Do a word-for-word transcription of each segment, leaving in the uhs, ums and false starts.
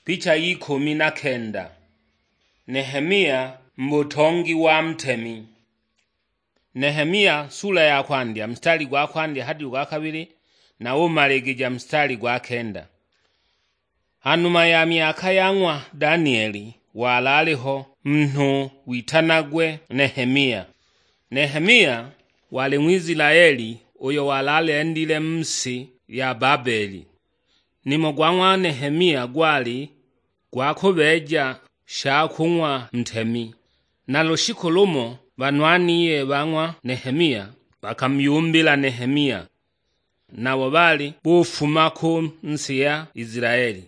Picha y'ikumi na kenda. Nehemia mu butongi wa ntemi. Nehemia sula ya kwandya, mstari gwa kwandya hadi gwa kabili, na umaligija mstari gwa kenda. Hanuma ya myaka ya ng'wa Danieli, walaliho munhu witanagwe Nehemia. Nehemia wali Ng'wizilaeli uyo walalendile mu si ya Babeli. Nimo gwa ng'wa Nehemia gwali gwa kubeeja sha kung'wa ntemi. Na lushiku lumo banwaniye ba ng'wa Nehemia bakamuyumbila Nehemia, nabo baali bufuma ku nsi ya Isilaeli.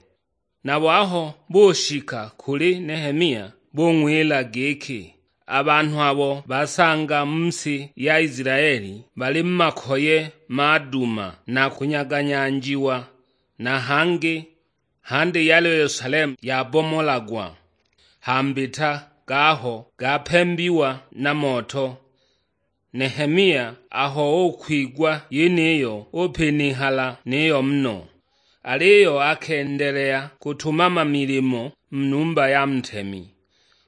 Nabo aho bushika kuli Nehemia, bung'wila giki, "A banhu abo basanga mu si ya Isilaeli bali mu makoye maduma na kunyaganyanjiwa, na hangi handi ya Yelusalemu yabomolagwa, ha mbita gaho gapembiwa na moto." Nehemia aho ukwigwa yeniyo, upinihala niyo muno, aliyo akendelea kutumama milimo mu numba ya ntemi.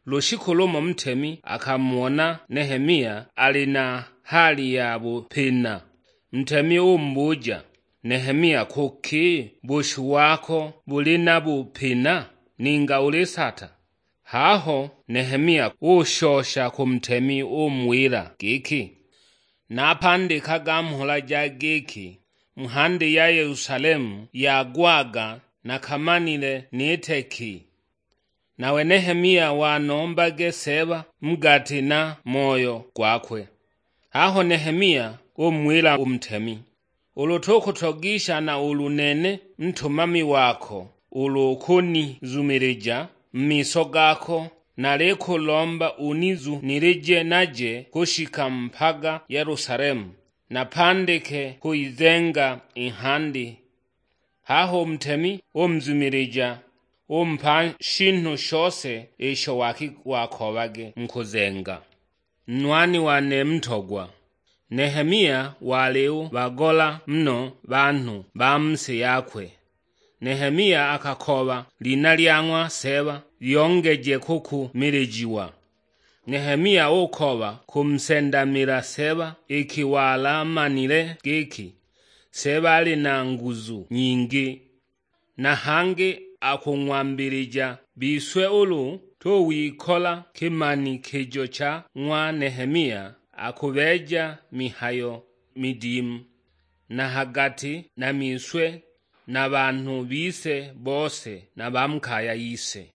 Lushiku lumo ntemi akamona Nehemia ali na hali ya bupina. Ntemi umubuja, "Nehemia, kuki bushu wako buli na bupina, ninga ulisata?" Haho Nehemia ushosha ku ntemi, umuwila giki, "Napandikaga mhola ja giki, mhandi ya Yelusalemu yagwaga nakamanile nite ki?" Nawe Nehemia wanombage Seeba mu gati na moyo gwakwe. Haho Nehemia umuwila u ntemi, "Ulu tukutogisha na ulu nene ntumami wako, ulu ukunizumilija mu miso gako, nalikulomba unizunilije naje kushika mpaga Yelusalemu, napandike kuyizenga i ng'handi." Haho u ntemi umuzumilija, umupa shinhu shose isho waki-, wakoobage mu kuzenga. Nwani wane mutogwa, Nehemia wali ubagola muno banhu ba mu si yakwe. Nehemia akakooba lina lya ng'wa Seeba lyongeje kukumilijiwa. Nehemia ukooba kumusendamila Seeba iki walamanile giki Seeba ali na nguzu nyingi, na hangi akung'wambilija. Bise ulu tuwikola kimanikijo cha ng'wa Nehemia, akubeeja mihayo midimu na ha gati na miswe na banhu bise bose na ba mu kaya yise.